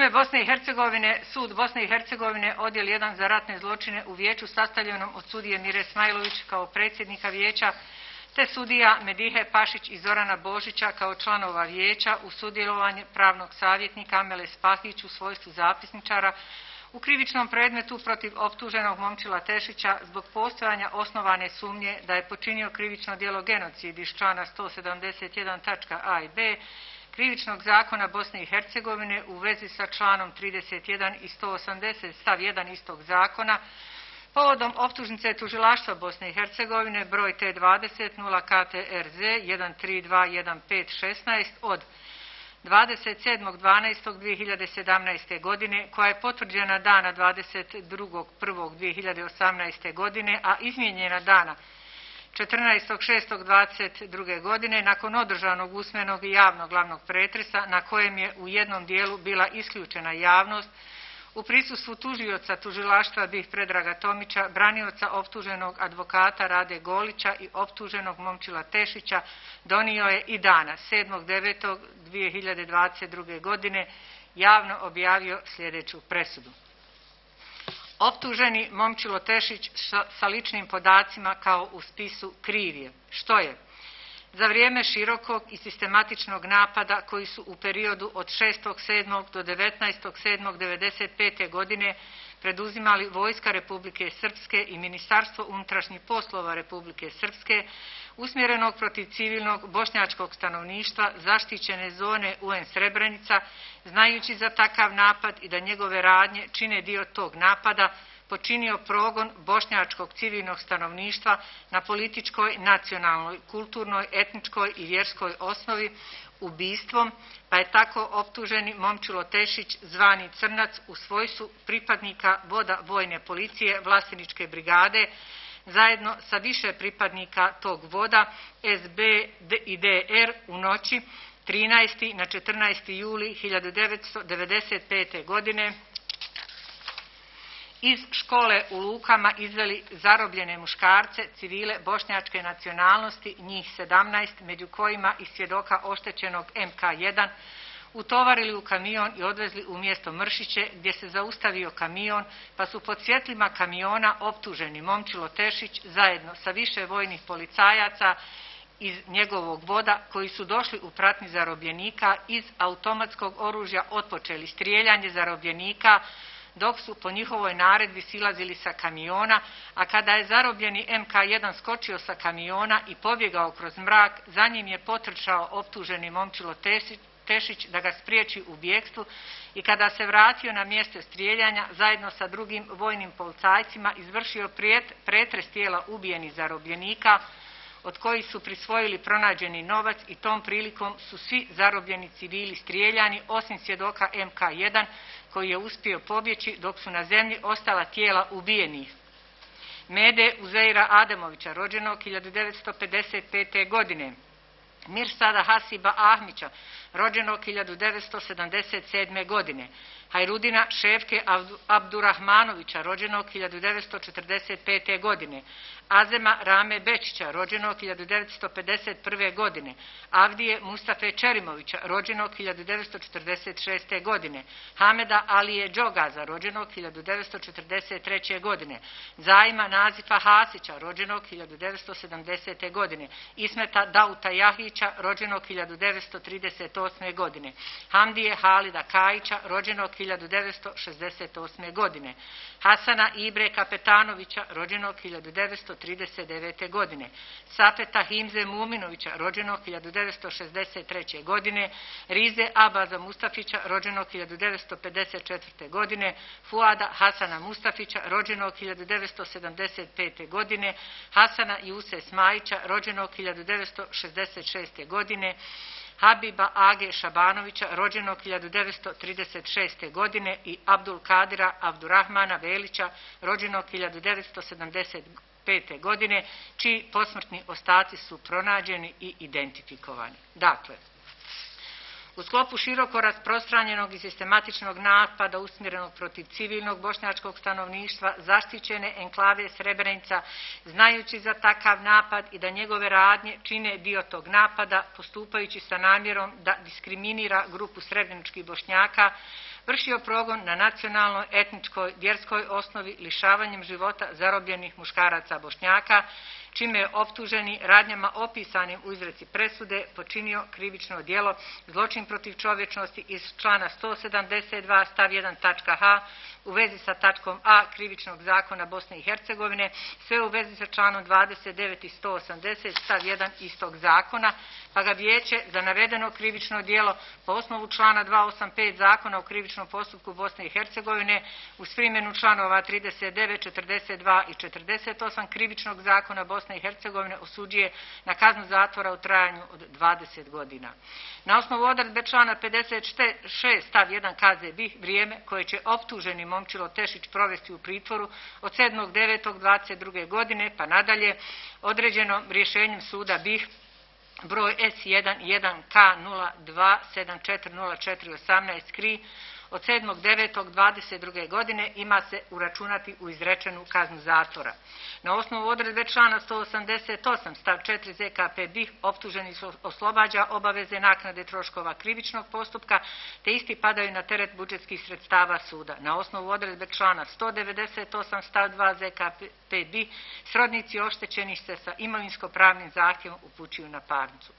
Sudovi Bosne i Hercegovine, Sud Bosne i Hercegovine, odjel 1 za ratne zločine u vijeću sastavljenom od sudije Mire Smajlović kao predsjednika vijeća, te sudija Medihe Pašić i Zorana Božića kao članova vijeća u sudjelovanje pravnog savjetnika Amele Spahić u svojstvu zapisničara u krivičnom predmetu protiv optuženog Momčila Tešića zbog postojanja osnovane sumnje da je počinio krivično djelo genocid iz člana 171.a i b Krivičnog zakona Bosne i Hercegovine u vezi sa članom 31 i 180 stav 1 istog zakona povodom optužnice tužilaštva Bosne i Hercegovine broj T20 0 KTRZ 1321516 od 27.12.2017. godine, koja je potvrđena dana 22.1.2018. godine, a izmijenjena dana 14.6.22. godine nakon održanog usmenog i javnog glavnog pretresa na kojem je u jednom dijelu bila isključena javnost u prisustvu tužioca tužilaštva BiH Predraga Tomića, branioca optuženog advokata Rade Golića i optuženog Momčila Tešića, donio je i dana 7.9.2022. godine javno objavio sljedeću presudu. Optuženi Momčilo Tešić sa ličnim podacima kao u spisu kriv je, što je za vrijeme širokog i sistematičnog napada koji su u periodu od 6.7. do 19.7.1995. godine preduzimali Vojska Republike Srpske i Ministarstvo unutrašnjih poslova Republike Srpske, usmjerenog protiv civilnog bošnjačkog stanovništva zaštićene zone UN Srebrenica, znajući za takav napad i da njegove radnje čine dio tog napada, počinio progon bošnjačkog civilnog stanovništva na političkoj, nacionalnoj, kulturnoj, etničkoj i vjerskoj osnovi ubistvom, pa je tako optuženi Momčilo Tešić, zvani Crnac, u svojstvu pripadnika voda vojne policije Vlasteničke brigade, zajedno sa više pripadnika tog voda SB i DR u noći 13. na 14. juli 1995. godine iz škole u Lukama izveli zarobljene muškarce, civile bošnjačke nacionalnosti, njih 17, među kojima i svjedoka oštećenog MK1, utovarili u kamion i odvezli u mjesto Mršiće, gdje se zaustavio kamion, pa su pod svjetlima kamiona optuženi Momčilo Tešić zajedno sa više vojnih policajaca iz njegovog voda, koji su došli u pratnji zarobljenika, iz automatskog oružja otpočeli strijeljanje zarobljenika, dok su po njihovoj naredbi silazili sa kamiona, a kada je zarobljeni MK1 skočio sa kamiona i pobjegao kroz mrak, za njim je potrčao optuženi Momčilo Tešić da ga spriječi u bjegstvu i kada se vratio na mjesto strijeljanja, zajedno sa drugim vojnim policajcima izvršio pretres tijela ubijenih zarobljenika, od kojih su prisvojili pronađeni novac i tom prilikom su svi zarobljeni civili strijeljani, osim svjedoka MK1, koji je uspio pobjeći dok su na zemlji ostala tijela ubijenih. Mede Uzeira Ademovića, rođenog 1955. godine. Mirsada Hasiba Ahmića, rođenog 1977. godine. Hajrudina Šefke Abdurahmanovića, rođenog 1945. godine. Azema Rame Bečića, rođenog 1951. godine. Avdije Mustafe Čerimovića, rođenog 1946. godine. Hameda Alije Đogaza, rođenog 1943. godine. Zajma Nazifa Hasića, rođenog 1970. godine. Ismeta Dauta Jahića, rođenog 1938. godine. Hamdije Halida Kajića, rođenog 1968. godine. Hasana Ibre Kapetanovića, rođenog 1939. godine. Safeta Himze Muminovića, rođenog 1963. godine. Rize Abaza Mustafića, rođenog 1954. godine. Fuada Hasana Mustafića, rođenog 1975. godine. Hasana Juse Smajića, rođenog 1966. godine. Habiba Age Šabanovića, rođenog 1936. godine i Abdul Kadira Abdurrahmana Velića, rođenog 1975. godine, čiji posmrtni ostaci su pronađeni i identifikovani. Dakle, u sklopu široko rasprostranjenog i sistematičnog napada usmjerenog protiv civilnog bošnjačkog stanovništva, zaštićene enklave Srebrenica, znajući za takav napad i da njegove radnje čine dio tog napada, postupajući sa namjerom da diskriminira grupu srebreničkih Bošnjaka, vršio progon na nacionalnoj, etničkoj, vjerskoj osnovi lišavanjem života zarobljenih muškaraca Bošnjaka, čime je optuženi radnjama opisanim u izreci presude počinio krivično djelo zločin protiv čovječnosti iz člana 172 stav 1 tačka h u vezi sa tačkom a krivičnog zakona Bosne i Hercegovine, sve u vezi sa članom 29 i 180 stav 1 istog zakona, pa ga vijeće za navedeno krivično djelo po osnovu člana 285 zakona o krivičnom postupku Bosne i Hercegovine uz primjenu članova 39, 42 i 48 krivičnog zakona Bosne i Hercegovine osuđuje na kaznu zatvora u trajanju od 20 godina. Na osnovu odredbe člana 56 stav 1 KZ vrijeme koje će optuženi Momčilo Tešić provesti u pritvoru od 7.9.22. godine pa nadalje određeno rješenjem suda BiH broj S1-1K02-740418 KRI od 7.9.22. godine ima se uračunati u izrečenu kaznu zatvora. Na osnovu odredbe člana 188 stav 4 ZKP BiH optuženi su oslobađa obaveze naknade troškova krivičnog postupka te isti padaju na teret budžetskih sredstava suda. Na osnovu odredbe člana 198 stav 2 ZKP BiH srodnici oštećenih se sa imovinsko-pravnim zahtjevom upućuju na parnicu.